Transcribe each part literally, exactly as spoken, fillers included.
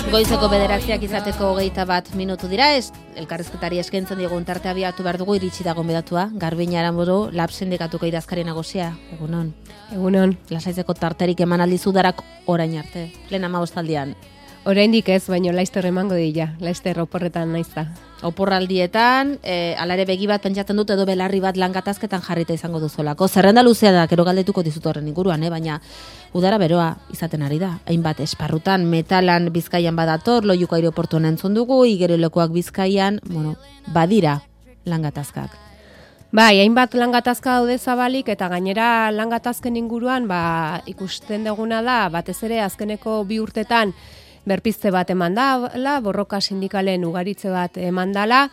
Goizeko bederatziak izateko hogeita bat minutu dira, ez elkarrizketari eskaintzen digun tarte abiatu behar dugu, iritsi da gonbidatua, Garbiñe Aranburu, Lab Sindikatuko idazkari nagusia. Egunon. Egunon. Lasaitzeko tarterik eman aldizu darak orain arte, lehen hamabostaldian. Oraindik ez, baino laizter emango dira, laizter oporretan naiz da. Oporraldietan, e, alare begi bat pentsatzen dut edo belarri bat langatazketan jarrita izango duzolako. Zerrenda luzea da, gero galdetuko dizut horren inguruan, eh? Baina udara beroa izaten ari da. Hainbat esparrutan, Metalan Bizkaian badator, Loiuko aireportuan entzun dugu, Igerilekuak Bizkaian, bueno, badira langatazkak. Bai, hainbat langatazka daude zabalik eta gainera langatazken inguruan ba, ikusten duguna da, batez ere azkeneko bi urtetan berpizte bat eman dala, borroka sindikalen ugaritze bat eman dala,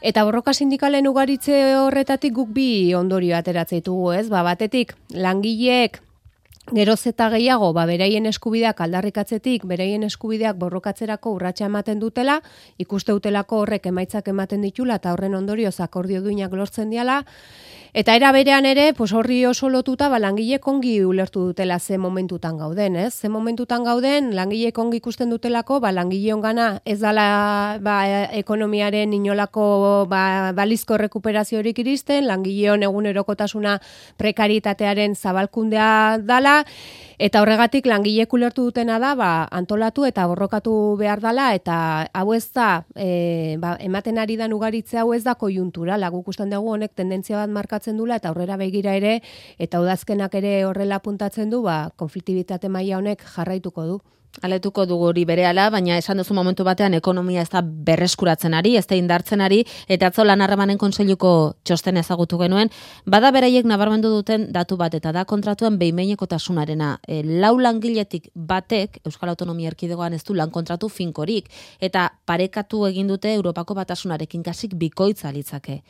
eta borroka sindikalen ugaritze horretatik guk bi ondorio ateratzen ditugu, ez? Ba, batetik langileek geroz eta gehiago, ba, beraien eskubideak aldarrikatzetik, beraien eskubideak borrokatzerako urratsa ematen dutela, ikuste dutelako horrek emaitzak ematen ditula, eta horren ondorioz akordio duinak lortzen diala, eta era berean ere, pues horri oso lotuta, ba, langileek ongi ulertu dutela ze momentutan gauden, ez? Ze momentutan gauden, langileek ongi ikusten dutelako, ba, langileon gana ez dala ba, ekonomiaren inolako ba, balizko rekuperaziorik iristen, langileon egunerokotasuna prekaritatearen zabalkundea dala, eta horregatik langileek ulertu dutena da, ba, antolatu eta borrokatu behar dala, eta hau ez da, e, ba, ematen ari dan ugaritze hau ez da kojunturala, guk usten dugu honek tendentzia bat markatzen dula, eta aurrera begira ere, eta udazkenak ere horrela puntatzen du, ba, konfliktibitate maila honek jarraituko du. Aletuko dugu hori berehala, baina esan duzu momentu batean ekonomia ez da berreskuratzen ari, ez da indartzen ari, eta atzo lan harremanen kontseiluko txosten ezagutu genuen, bada beraiek nabarmendu duten datu bat, eta da kontratuen behin-behinekotasunarena. E, lau langiletik batek, Euskal Autonomia Erkidegoan ez du lan kontratu finkorik, eta parekatu egin dute Europako batasunarekin kasik bikoitza litzake.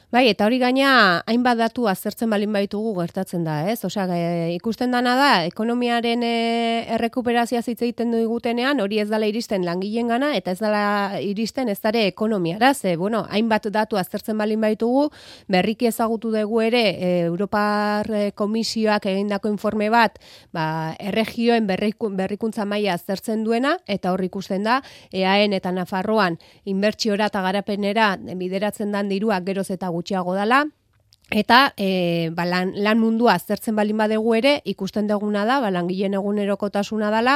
Bai, eta hori gaina hainbat datu aztertzen balin baitugu gertatzen da, ez? Osea, e, ikusten dana da, ekonomiaren e, errekuperazioa hitz egiten dugutenean, hori ez dela iristen langileengana eta ez dela iristen ez dare ekonomiara, ze, bueno, hainbat datu aztertzen balin baitugu, berriki ezagutu dugu ere, e, Europar Komisioak egindako informe bat, ba, erregioen berriku, berrikuntza maila aztertzen duena, eta hor ikusten da, E A N eta Nafarroan inbertsiora eta garapenera bideratzen dan dirua geroz eta gutxiago dala, eta e, ba, lan, lan mundua aztertzen balin badegu ere, ikusten duguna da, ba, langileen egunerokotasuna dala,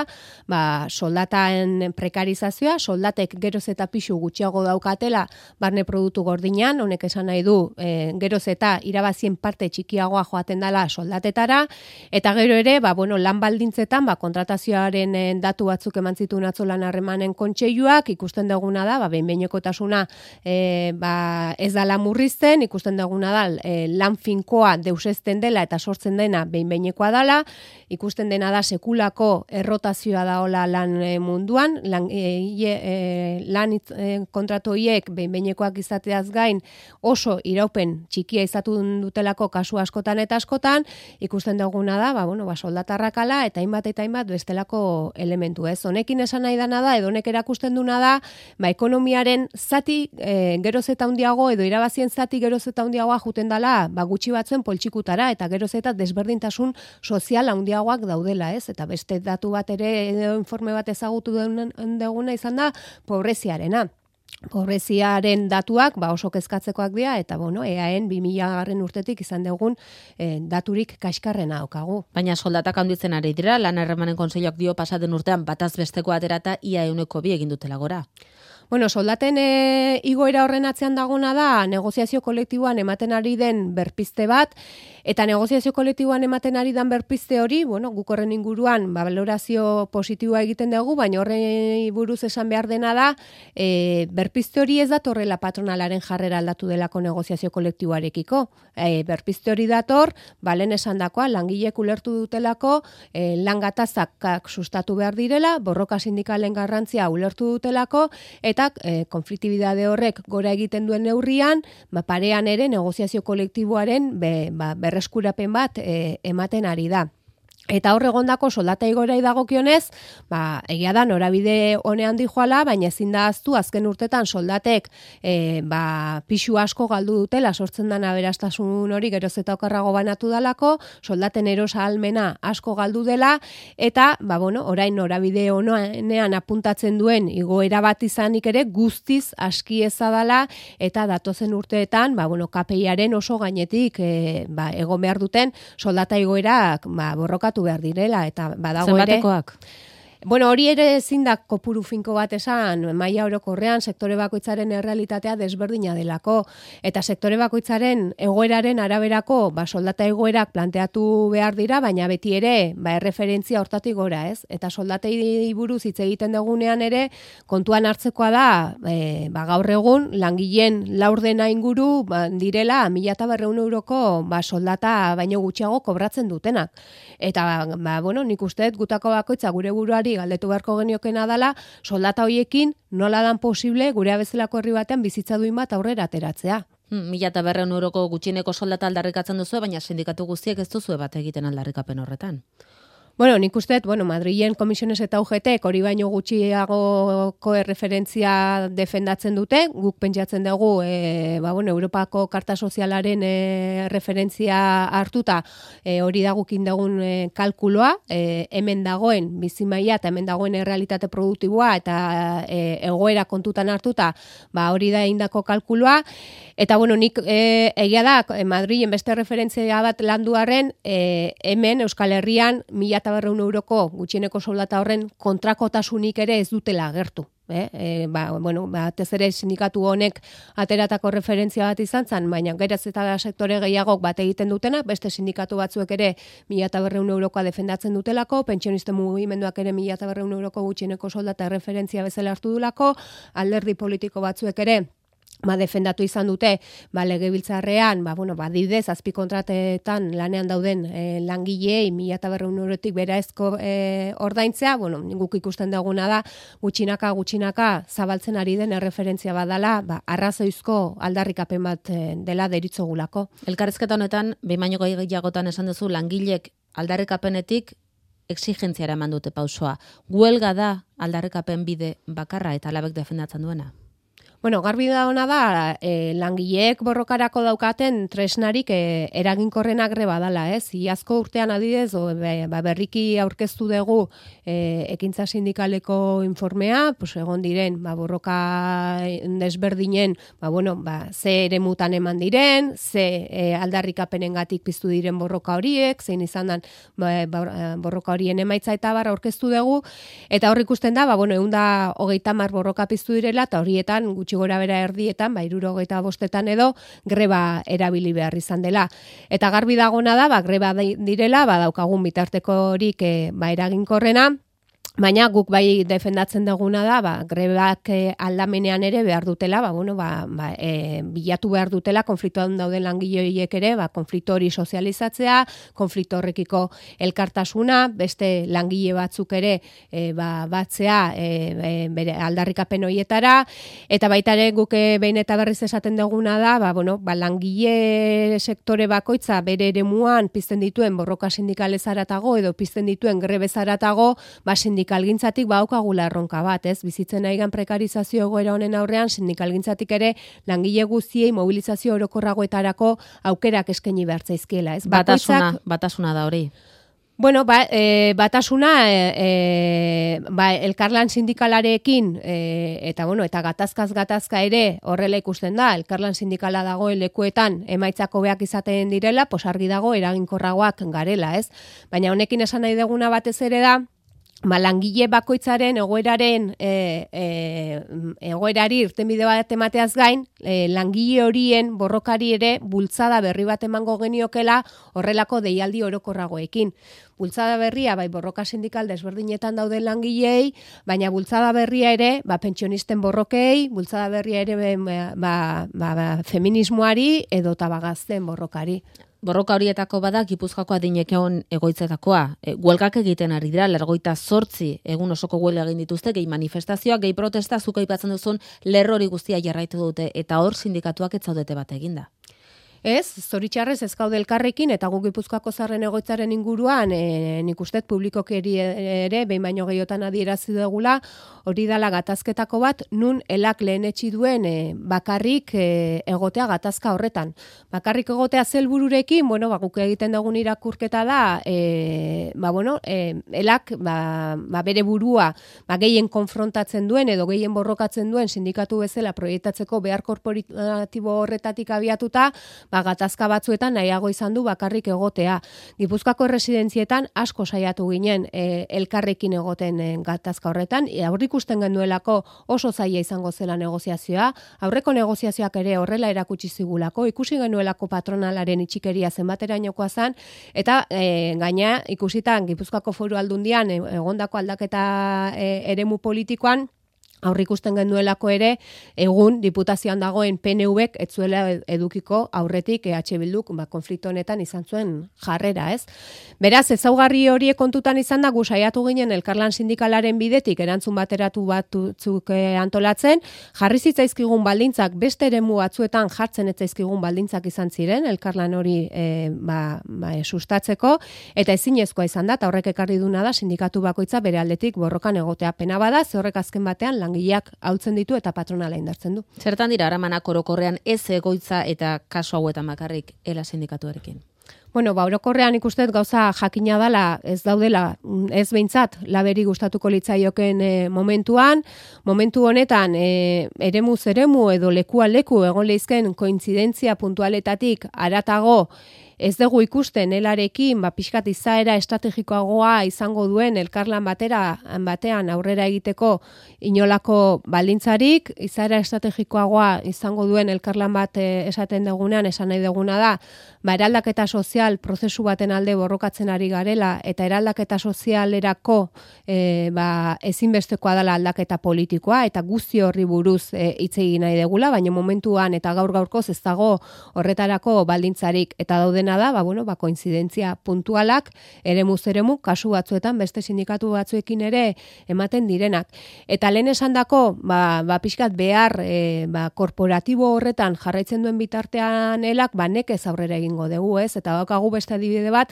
ba, soldataen prekarizazioa, soldatek geroz eta pixu gutxiago daukatela, barne produktu gordinan, honek esan nahi du, e, geroz eta irabazien parte txikiagoa joaten dala soldatetara, eta gero ere, ba, bueno, lan baldintzetan, ba, kontratazioaren e, datu batzuk eman zituen atzo lan harremanen kontseiluak, ikusten duguna da, ba, behin-behinekotasuna e, ba, ez dala murrizten, ikusten duguna da, e, lan finkoa deusezten dela eta sortzen dena behin-behinekoa dela, ikusten dena da sekulako errotazioa daola lan e, munduan, lan, e, e, lan itz, e, kontratoiek behin-behinekoak izateaz gain oso iraupen txikia izatu dutelako kasu askotan eta askotan, ikusten duguna da, ba, bueno, ba, soldatarrakala eta hainbat eta hainbat bestelako elementu, ez? Honekin esan nahi dana da, edo honek erakusten duna da, ba, ekonomiaren zati e, geroz eta handiago, edo irabazien zati geroz eta handiagoa juten dala ba, gutxi batzuen poltsikutara eta geroz eta desberdintasun sozial handiagoak daudela, ez? Eta beste datu bat ere edo informe bat ezagutu duguna izan da pobreziarena. Pobreziaren datuak ba, oso kezkatzekoak dira eta bueno, E A N bi mila garren urtetik izan dugun e, daturik kaskarrena daukagu. Baina soldatak handitzen ari dira, lan harremanen kontseiluak dio pasaden urtean bataz besteko aterata ia ehuneko bi egin dutela gora. Bueno, soldaten e, igoera horren atzean dagona da negoziazio kolektiboan ematen ari den berpizte bat, eta negoziazio kolektiboan ematen ari den berpizte hori, bueno, guk horren inguruan ba, valorazio positiboa egiten dugu, baina horren buruz esan behar dena da, e, berpizte hori ez datorrela patronalaren jarrera aldatu delako negoziazio kolektiboarekiko. E, berpizte hori dator, balen esan dakoa, langilek ulertu dutelako, e, lan gatazakak sustatu behar direla, borroka sindikalen garrantzia ulertu dutelako, eta e, konfliktibidade horrek gora egiten duen neurrian, ba, parean ere negoziazio kolektiboaren be, ba, berreskurapen bat e, ematen ari da. Eta hor egondako soldata igoerari dagokionez, ba, egia da norabide honean dijoala, baina ezin da ahaztu azken urtetan soldatek e, ba, pixu asko galdu dutela, sortzen den aberastasun hori geroz eta okerrago banatu dalako, soldaten erosa ahalmena asko galdu dela, eta ba, bueno, orain norabide honean apuntatzen duen igoera bat izanik ere guztiz aski eza dela, eta datozen urteetan ba, bueno, K P I-aren oso gainetik e, ba, egon behar duten soldata igoerak ba, borroka behar direla, eta badago ere... Zenbatekoak? Bueno, hori ere ezin da kopuru finko bat esan, maila orokorrean sektore bakoitzaren errealitatea desberdina delako, eta sektore bakoitzaren egoeraren araberako ba, soldata egoerak planteatu behar dira, baina beti ere ba, erreferentzia hortatik gora, ez? Eta soldatei buruz hitz egiten dugunean ere, kontuan hartzekoa da, e, ba, gaur egun, langileen laurdena inguru ba, direla, mila eta berreun euroko ba, soldata baino gutxiago kobratzen dutenak. Eta, ba, bueno, nik usteet gutako bakoitza gure buruari galdetu beharko geniokena dala, soldata hoiekin nola dan posible gure bezalako herri batean bizitza duin bat aurrera ateratzea. Hmm, mila eta berreun euroko gutxieneko soldata aldarrikatzen duzu, baina sindikatu guztiek ez duzu bat egiten aldarrikapen horretan. Bueno, nik usteet, bueno, Madrilen komisiones eta U G T hori baino gutxiagoko erreferentzia defendatzen dute, guk pentsatzen dugu, e, ba, bueno, Europako Karta Sozialaren e, referentzia hartuta, e, hori da gukin dugun e, kalkuloa, e, hemen dagoen bizimaia eta hemen dagoen errealitate produktiboa eta e, egoera kontutan hartuta, ba, hori da egindako kalkuloa, eta bueno, nik e, egia da, Madrilen beste referentzia bat landuarren, e, hemen Euskal Herrian mila eta berreun euroko gutxieneko soldata horren kontrakotasunik ere ez dutela agertu. Eh? E, ba, bueno, batez ere sindikatu honek ateratako referentzia bat izan zen, baina geraz eta sektore gehiagok bat egiten dutena, beste sindikatu batzuek ere mila eta berreun eurokoa defendatzen dutelako, pentsionisten mugimenduak ere mila eta berreun euroko gutxieneko soldata referentzia bezala hartu dulako, alderdi politiko batzuek ere ba, defendatu izan dute, ba, legebiltzarrean, ba, bueno, ba, didez, azpikontratetan lanean dauden e, langilei mila eta berreun eurotik beraezko e, ordaintzea, bueno, guk ikusten duguna da, gutxinaka, gutxinaka, zabaltzen ari den erreferentzia badala, ba, arrazoizko aldarrikapen bat e, dela deritzogulako. Elkarrizketa honetan, behin baino gehiagotan esan duzu, langilek aldarrikapenetik exigentziara eman dute pausoa. Huelga da aldarrikapen bide bakarra eta alabek defendatzen duena? Bueno, garbi da ona da, e, langileek borrokarako daukaten tresnarik e, eraginkorrena greba dala, ez? Iazko urtean adidez, o, be, ba, berriki aurkeztu dugu e, ekintza sindikaleko informea, pues, egon diren, ba, borroka desberdinen, ba, bueno, ba, ze ere mutan eman diren, ze e, aldarrikapenengatik piztu diren borroka horiek, zein izan dan ba, ba, borroka horien emaitza eta barra aurkeztu dugu, eta hor ikusten da, ba, bueno, egun da hogeita hamar borroka piztu direla, eta horietan gutxi gora bera erdietan, ba, hirurogeita bostetan edo, greba erabili behar izan dela. Eta garbi dagona da, ba, greba direla, ba, daukagun bitartekorik e, ba, eraginkorrena, baina guk bai defendatzen duguna da, ba, grebak e, aldamenean ere behar dutela, ba, bueno, ba, ba, e, bilatu behar dutela, konfliktoan dauden langileoiek ere, ba, konflikto hori sozializatzea, konflikto horrekiko elkartasuna, beste langile batzuk ere e, ba, batzea e, e, bere aldarrikapen horietara, eta baita ere guk e, behin eta berriz esaten duguna da, ba, bueno, ba, langile sektore bakoitza bere eremuan pizten dituen borroka sindikalezaratago edo pizten dituen grebezaratago, ba, sindikalgintzatik baukagula erronka bat, ez? Bizitzen aigan prekarizazio egoera honen aurrean, sindikalgintzatik ere langile guztiei mobilizazio orokorragoetarako aukerak eskaini behar zaizkiela, ez? Batasuna, batasuna da hori. Bueno, ba, e, batasuna e, e, ba, elkarlan sindikalarekin e, eta bueno, eta gatazkaz gatazka ere horrela ikusten da, elkarlan sindikala dagoen lekuetan emaitzako beak izaten direla, pos argi dago eraginkorragoak garela, ez? Baina honekin esan nahi deguna batez ere da, ba, langile bakoitzaren egoeraren e, e, egoerari irtenbide bat emateaz gain, e, langile horien borrokari ere bultzada berri bat emango geniokela horrelako deialdi orokorragoekin. Bultzada berria, bai, borroka sindikal desberdinetan dauden langilei, baina bultzada berria ere, ba, pentsionisten borrokei, bultzada berria ere, ba, ba, ba, feminismoari edo tabagazten borrokari. Borroka horietako bada Gipuzkoako adinekeon egoitzetakoa. E, huelgak egiten ari dira, lergoita zortzi egun osoko huelga egin dituzte, gehi manifestazioak, gehi protesta, zuko aipatzen duzun lerrori guztia jarraitu dute, eta hor sindikatuak ez zaudete bat eginda. Ez, zoritxarrez ez gaude elkarrekin, eta gu Gipuzkoako Zaharren egoitzaren inguruan, e, nik uste publikoki ere, behin baino gehiotan adierazi dugula, hori dala gatazketako bat, nun elak lehenetsi duen e, bakarrik e, egotea gatazka horretan. Bakarrik egotea zelbururekin, bueno, ba, guk egiten dugun irakurketa da, e, ba, bueno, e, elak ba, ba, bere burua ba, gehien konfrontatzen duen, edo gehien borrokatzen duen sindikatu bezala proiektatzeko behar korporatibo horretatik abiatuta, ba, gatazka batzuetan nahiago izan du bakarrik egotea. Gipuzkoako residentzietan asko saiatu ginen e, elkarrekin egoten e, gatazka horretan, e, aurrik ikusten genuelako oso zaila izango zela negoziazioa, aurreko negoziazioak ere horrela erakutsi zigulako, ikusi genuelako patronalaren itxikeria zenbaterainokoa zen, eta e, gaina ikusitan Gipuzkoako Foru Aldundian e, egondako aldaketa e, eremu politikoan, aurrik ikusten genuelako ere, egun diputazioan dagoen P N Vek ez zuela edukiko aurretik E H Bilduk ba, konflikto honetan izan zuen jarrera, ez? Beraz, ezaugarri horiek kontutan izan da, gu saiatu ginen elkarlan sindikalaren bidetik erantzun bateratu batzuk eh, antolatzen, jarri zitzaizkigun baldintzak beste eremu batzuetan jartzen ez zaizkigun baldintzak izan ziren, elkarlan hori eh, ba, ba, e, sustatzeko, eta ezinezkoa izan da, eta horrek ekarri duna da, sindikatu bakoitza bere aldetik borrokan egotea. Pena bada, ze horrek azken batean langileak hautzen ditu eta patronala indartzen du. Zertan dira haramanak orokorrean ez egoitza eta kasu hauetan bakarrik ela sindikatuarekin? Bueno, ba, orokorrean ikustet gauza jakina dala, ez daudela, ez behintzat, laberi gustatuko litzaioken e, momentuan, momentu honetan e, eremuz eremu edo lekua leku egon leizken kointzidentzia puntualetatik aratago ez dugu ikusten elarekin, ba, pixkat izaera estrategikoagoa izango duen elkarlan batera, batean aurrera egiteko inolako baldintzarik, izaera estrategikoagoa izango duen elkarlan bat e, esaten dugunean, esan nahi duguna da, ba, eraldaketa sozial prozesu baten alde borrokatzen ari garela, eta eraldaketa sozialerako e, ba, ezinbestekoa dela aldaketa politikoa, eta guzti horri buruz e, hitz egin nahi degula, baina momentuan eta gaur gaurkoz ez dago horretarako baldintzarik, eta dauden da, ba, bueno, ba, koinzidentzia puntualak, eremuz eremu, kasu batzuetan, beste sindikatu batzuekin ere ematen direnak. Eta lehen esandako, ba, ba, pixkat behar, e, ba, korporatibo horretan jarraitzen duen bitartean elak, ba, nekez aurrera egingo dugu, ez? Eta daukagu beste adibide bat,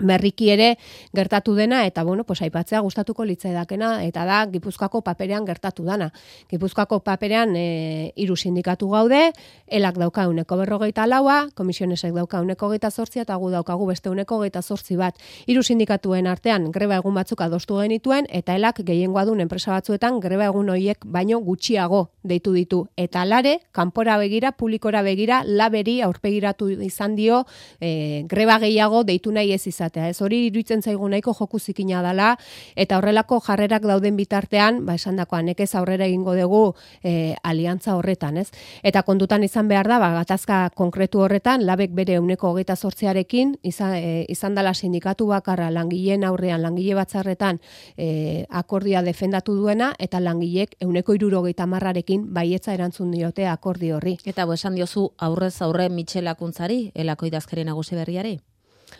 berriki ere gertatu dena, eta bueno, pues aipatzea gustatuko litzaidakena, eta da Gipuzkoako paperean gertatu dana. Gipuzkoako paperean e, hiru sindikatu gaude, elak dauka uneko berrogeita laua, komisionesek dauka uneko geita zortzia, eta gu daukagu beste uneko geita zortzi bat. Hiru sindikatuen artean greba egun batzuk adostu genituen, eta elak gehiengoa duen enpresa batzuetan greba egun horiek baino gutxiago deitu ditu. Eta alare, kanpora begira, publikora begira, laberi aurpegiratu izan dio e, greba gehiago deitu nahi ez izan. Ez hori iruditzen zaigu nahiko joku zikina dela, eta horrelako jarrerak dauden bitartean, ba esandakoa nekez aurrera egingo dugu e, aliantza horretan, ez? Eta kontutan izan behar da, ba, gatazka konkretu horretan, labek bere euneko hogeita zortziarekin, izan, e, izan dela sindikatu bakarra langileen aurrean, langile batzarretan e, akordia defendatu duena, eta langilek euneko hirurogeita hamarrarekin baietza erantzun diote akordio horri. Eta bo esan diozu aurrez aurre Mitxelakuntzari, elako idazkari nagusi berriari?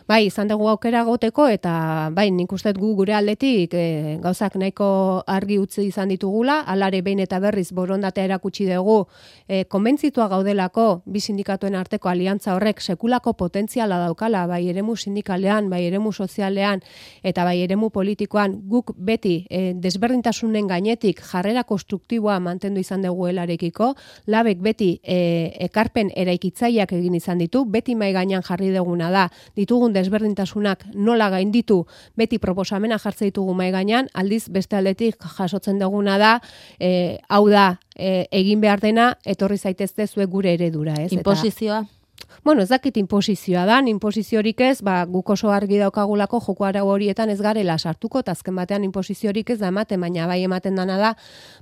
Bai, izan dugu aukera goteko, eta bai, nik uste gu gure aldetik e, gauzak nahiko argi utzi izan ditugula, alare behin eta berriz borondatea erakutsi dugu, e, konbentzitua gaudelako bi sindikatuen arteko aliantza horrek sekulako potentziala daukala, bai eremu sindikalean, bai eremu sozialean, eta bai eremu politikoan, guk beti e, desberdintasunen gainetik jarrera konstruktiboa mantendu izan dugu helarekiko, labek beti e, ekarpen eraikitzaileak egin izan ditu, beti mai gainean jarri duguna da, ditugun desberdintasunak nola gainditu, beti proposamena jartze ditugu mai gainean, aldiz beste aldetik jasotzen duguna da, e, hau da, e, egin behar dena, etorri zaitezte zuek gure eredura, ez? Inposizioa? Eta, bueno, ez dakit inposizioa da, inposiziorik ez, ba, guk oso argi daukagulako joko arau horietan ez garela sartuko, eta azken batean inposiziorik ez da ematen, baina bai ematen dana da,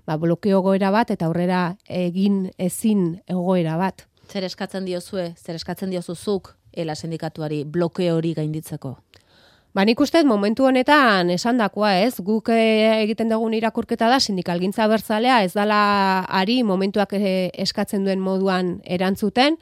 ba, blokeo egoera bat, eta aurrera egin ezin egoera bat. Zer eskatzen diozue, zer eskatzen diozuzuk, ela sindikatuari blokeo hori gainditzeko? Ba, nik uste momentu honetan esandakoa, ez? Guk egiten dugun irakurketa da sindikalgintza abertzalea ez dala ari momentuak eskatzen duen moduan erantzuten.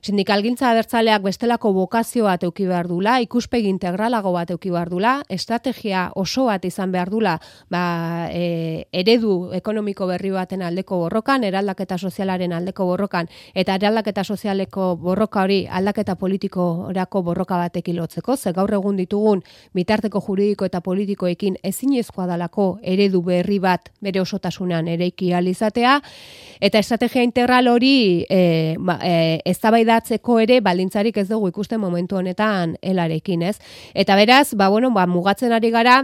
Sindikalgintza abertzaleak bestelako bokazio bat eduki behar dula, ikuspegi integralago bat eduki behar dula, estrategia oso bat izan behar dula, ba, e, eredu ekonomiko berri baten aldeko borrokan, eraldaketa sozialaren aldeko borrokan, eta eraldaketa sozialeko borroka hori aldaketa politikorako borroka batekin lotzeko, ze gaur egun ditugun bitarteko juridiko eta politikoekin ezinezkoa dalako eredu berri bat bere osotasunean eraiki ahal izatea, eta estrategia integral hori e, ba, e, eztabaidatzeko ere baldintzarik ez dugu ikusten momentu honetan helarekin, ez? Eta beraz, ba, bueno, ba, mugatzen ari gara,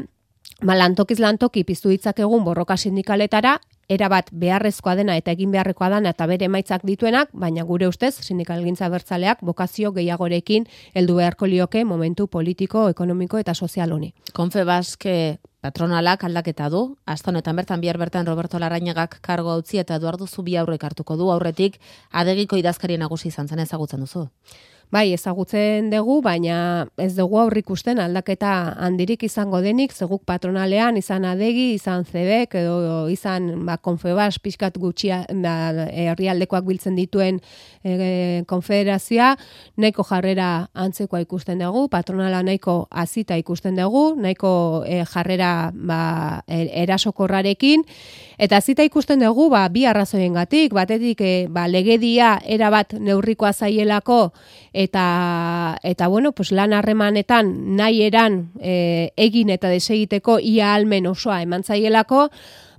ba, lantokiz lantoki piztu ditzakegun borroka sindikaletara, erabat beharrezkoa dena eta egin beharrekoa dena eta bere emaitzak dituenak, baina gure ustez sindikalgintza abertzaleak bokazio gehiagorekin heldu beharko lioke momentu politiko, ekonomiko eta sozial honi. Confebask patronalak aldaketa du, hasta honetan bertan bihar bertan Roberto Larrañagak kargo utzi eta Eduardo Zubiaurrek hartuko du, aurretik Adegiko idazkari nagusi izan zen, ezagutzen duzu. Bai, ezagutzen dugu, baina ez dugu aurrikusten aldaketa handirik izango denik, zeguk patronalean izan Adegi, izan Zebek, edo izan ba, Confebask pixkat gutxia ba, herrialdekoak biltzen dituen e, konfederazioa, nahiko jarrera antzekoa ikusten dugu, patronala nahiko azita ikusten dugu, nahiko e, jarrera ba, erasokorrarekin, eta azita ikusten dugu ba, bi arrazoiengatik, batetik e, ba, legedia erabat neurrikoa zaielako, eta eta bueno, pues lan harremanetan nahi eran e, egin eta desegiteko ia almen osoa emantzaielako,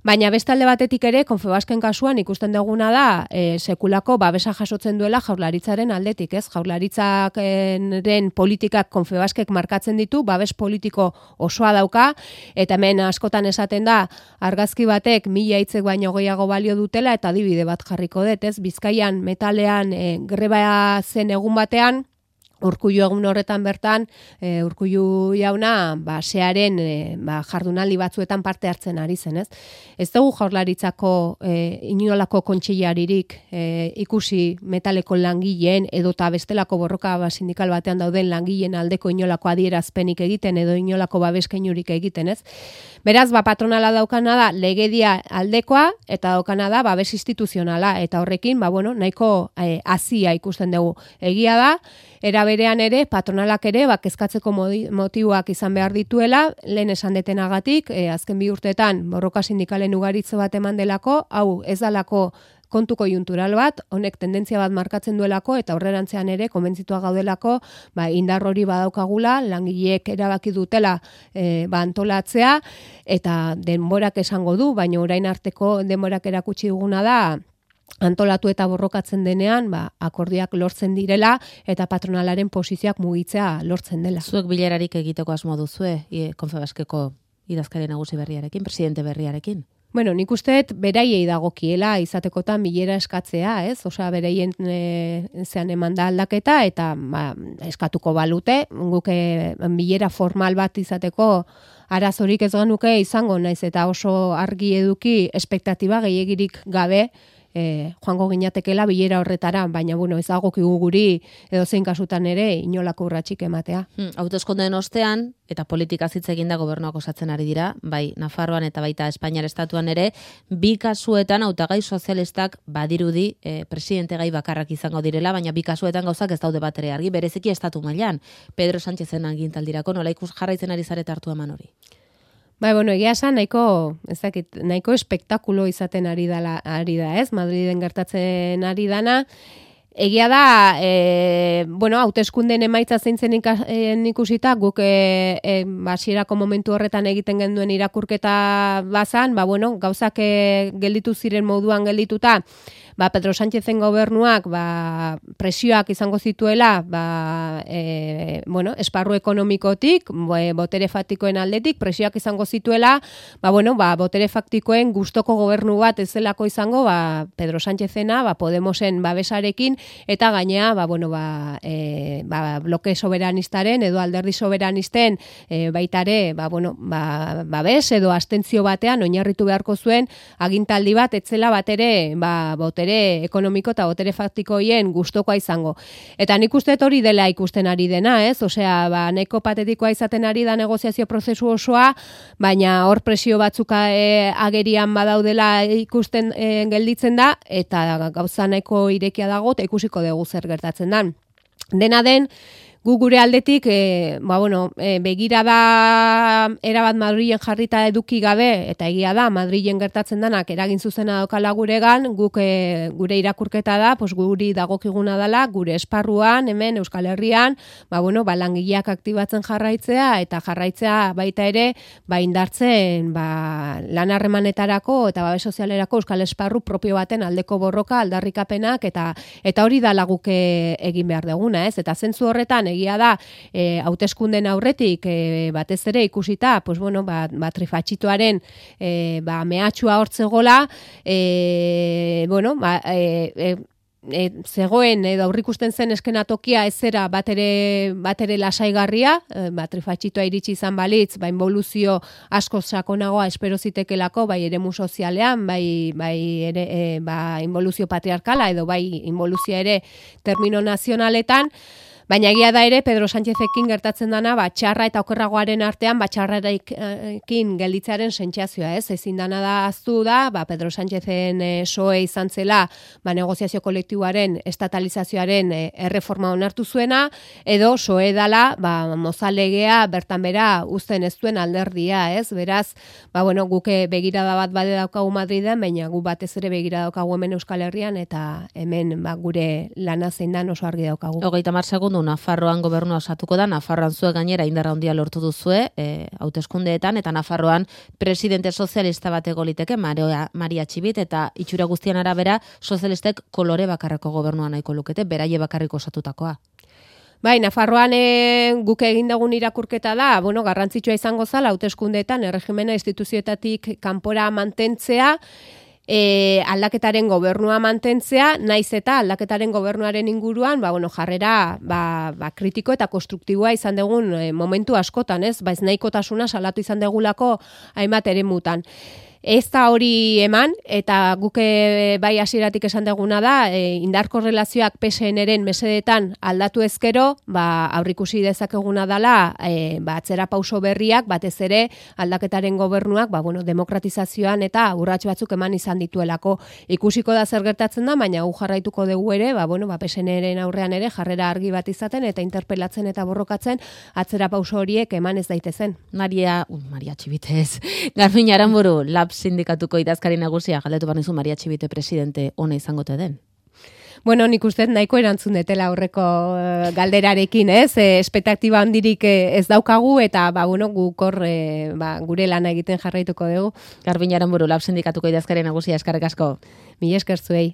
baina bestalde batetik ere Confebasken kasuan ikusten duguna da e, sekulako babesa jasotzen duela Jaurlaritzaren aldetik, ez? Jaurlaritzaren politikak Confebaskek markatzen ditu, babes politiko osoa dauka, eta hemen askotan esaten da argazki batek mila hitzek baino gehiago balio dutela, eta adibide bat jarriko dut, ez? Bizkaian metalean e, greba zen egun batean, Urkullu egun horretan bertan, e, Urkullu jauna, ba, searen e, ba, jardunaldi batzuetan parte hartzen ari zen, ez? Ez dugu Jaurlaritzako e, inolako kontseilaririk e, ikusi metaleko langileen edota bestelako borroka ba, sindikal batean dauden langileen aldeko inolako adierazpenik egiten edo inolako babeskeinurik egiten, ez? Beraz, ba, patronala daukana da legedia aldekoa eta daukana da babes instituzionala, eta horrekin, ba, bueno, nahiko e, hazia ikusten dugu. Egia da, era berean ere, patronalak ere, ba, kezkatzeko motiboak izan behar dituela, lehen esan detenagatik, e, azken bi urteetan borroka sindikalen ugaritze bat eman delako, hau ez dalako kontu koiuntural bat, honek tendentzia bat markatzen duelako, eta horrerantzean ere, konbentzitua gaudelako, ba, indar hori badaukagula, langileek erabaki dutela e, ba, antolatzea, eta denborak esango du, baina orain arteko denborak erakutsi duguna da, antolatu eta borrokatzen denean, ba, akordioak lortzen direla eta patronalaren posizioak mugitzea lortzen dela. Zuek bilerarik egiteko asmo duzue, Confebaskeko idazkari nagusi berriarekin, presidente berriarekin? Bueno, nik usteet beraiei dagokiela izatekotan bilera eskatzea, ez? Osea, beraien e, zean eman da aldaketa eta ba, eskatuko balute, guke bilera formal bat izateko arazorik ez genuke izango, naiz eta oso argi eduki espektatiba gehiegirik gabe E, joango ginatekela bilera horretara, baina bueno, ez dagokigu guri edo zein kasutan ere inolako urratsik ematea. Hmm, hauteskundeen ostean eta politika hitz egin da gobernuak osatzen ari dira, bai Nafarroan eta baita Espainiar estatuan ere, bi kasuetan hautagai sozialistak badirudi e, presidente gai bakarrak izango direla, baina bi kasuetan gauzak ez daude bat ere argi, bereziki estatu mailan. Pedro Sánchezen agintaldirako nola ikus jarraitzen ari zarete hartu eman hori? Bai, bueno, egia esan nahiko, ez dakit, nahiko espektakulo izaten ari da, ari da, ez? Madriden gertatzen ari dana. Egia da, e, bueno, hauteskundeen emaitza zeintzen ikusita, guk e, e, basierako momentu horretan egiten genduen irakurketa bazan, ba, bueno, gauzak e, gelditu ziren moduan geldituta, ba, Pedro Sánchezen gobernuak ba, presioak izango zituela ba, e, bueno, esparru ekonomikotik, botere faktikoen aldetik, presioak izango zituela, ba, bueno, ba, botere faktikoen gustoko gobernu bat ez zelako izango ba, Pedro Sánchezena, ba, Podemosen babesarekin, eta gainea ba, bueno, ba, e, ba, bloke soberanistaren edo alderdi soberanisten e, baitare ba, bueno, ba, babes edo astentzio batean oinarritu beharko zuen agintaldi bat etzela batere ba, botere ekonomiko eta botere faktiko hien gustokoa izango. Eta nik uste hori dela ikusten ari dena, ez? Osea, ba, nahiko patetikoa izaten ari da negoziazio prozesu osoa, baina hor presio batzuka e, agerian badaudela ikusten e, gelditzen da, eta gauza nahiko irekia dago, eta ikusiko dugu zer gertatzen dan. Dena den, gu gure aldetik, e, ba, bueno, e, begirada erabat Madrilen jarrita eduki gabe, eta egia da, Madrilen gertatzen danak eragin zuzena daukala guregan, guk e, gure irakurketa da, pues, guri dagokiguna dela, gure esparruan, hemen Euskal Herrian, ba, bueno, ba, langileak aktibatzen jarraitzea, eta jarraitzea baita ere, ba, indartzen, ba, lan harremanetarako eta babes sozialerako Euskal Esparru propio baten aldeko borroka, aldarrikapenak, eta eta hori da laguk egin behar duguna, ez? Eta zentzu horretan, egia da, e, hauteskunden aurretik e, batez ere ikusita, pues bueno, ba, ba trifatxitoaren e, ba, mehatxua hortzegola, e, bueno, ba, e, e, E, zegoen edo aurrikusten zen eskenatokia ez zera batere, batere lasaigarria, e, ba, trifatxitoa iritsi izan balitz, ba, involuzio asko sakonagoa espero zitekelako, bai eremu sozialean, bai, bai ere, e, ba, involuzio patriarkala edo bai involuzio ere termino nazionaletan, baina egia da ere, Pedro Sánchezekin gertatzen dana, ba, txarra eta okerragoaren artean, ba, txarrarekin gelditzearen sentsazioa, ez? Ezin dana da aztu da, ba, Pedro Sánchezen e, soe izan zela, ba, negoziazio kolektiboaren estatalizazioaren e, erreforma onartu zuena, edo soe dala, ba, mozalegea bertan bera uzten ez duen alderdia, ez? Beraz, ba, bueno, guke begirada bat bade daukagu Madriden, baina gu batez ere begirada daukagu hemen Euskal Herrian, eta hemen, ba, gure lana zein dan oso argi daukagu. Hogeita hamar segundu Nafarroan gobernua osatuko da, Nafarroan zuek gainera indarra handia lortu duzue, e, hauteskundeetan, eta Nafarroan presidente sozialista bat egoliteke, Maria, Maria Txibit, eta itxura guztian arabera sozialistek kolore bakarreko gobernua nahiko lukete, beraie bakarriko osatutakoa. Bai, Nafarroan e, guk egin dugun irakurketa da, bueno, garrantzitsua izango zala hauteskundeetan erregimena instituzioetatik kanpora mantentzea, E, aldaketaren gobernua mantentzea, naiz eta aldaketaren gobernuaren inguruan, ba, bueno, jarrera ba, ba, kritiko eta konstruktiboa izan dugun e, momentu askotan, ez? Baiz nahikotasuna salatu izan dugulako hainbat eremutan. Ez da hori eman, eta guke bai hasieratik esan duguna da, e, indarko relazioak P S N-ren mesedetan aldatu ezkero, ba, aurrikusi dezakeguna dela, e, ba, atzera pauso berriak, batez ere aldaketaren gobernuak, ba, bueno, demokratizazioan eta urrats batzuk eman izan dituelako. Ikusiko da zer gertatzen da, baina gu jarraituko dugu ere, ba, bueno, ba, P S N-ren aurrean ere jarrera argi bat izaten eta interpelatzen eta borrokatzen atzera pauso horiek eman ez daitezen. Maria, uh, Maria Txibitez, Garbiñe Aranburu, Lab sindikatuko idazkari nagusia, galdetu barnizu Maria Txibite presidente ona izangote den. Bueno, nik uste nahiko erantzun detela aurreko uh, galderarekin, ez? E, espektaktiba handirik ez daukagu eta ba bueno, guk hor e, ba, gure lana egiten jarraituko dugu. Garbiñe Aranburu, Lab sindikatuko idazkari nagusia, eskerrik asko. Mila esker zuei.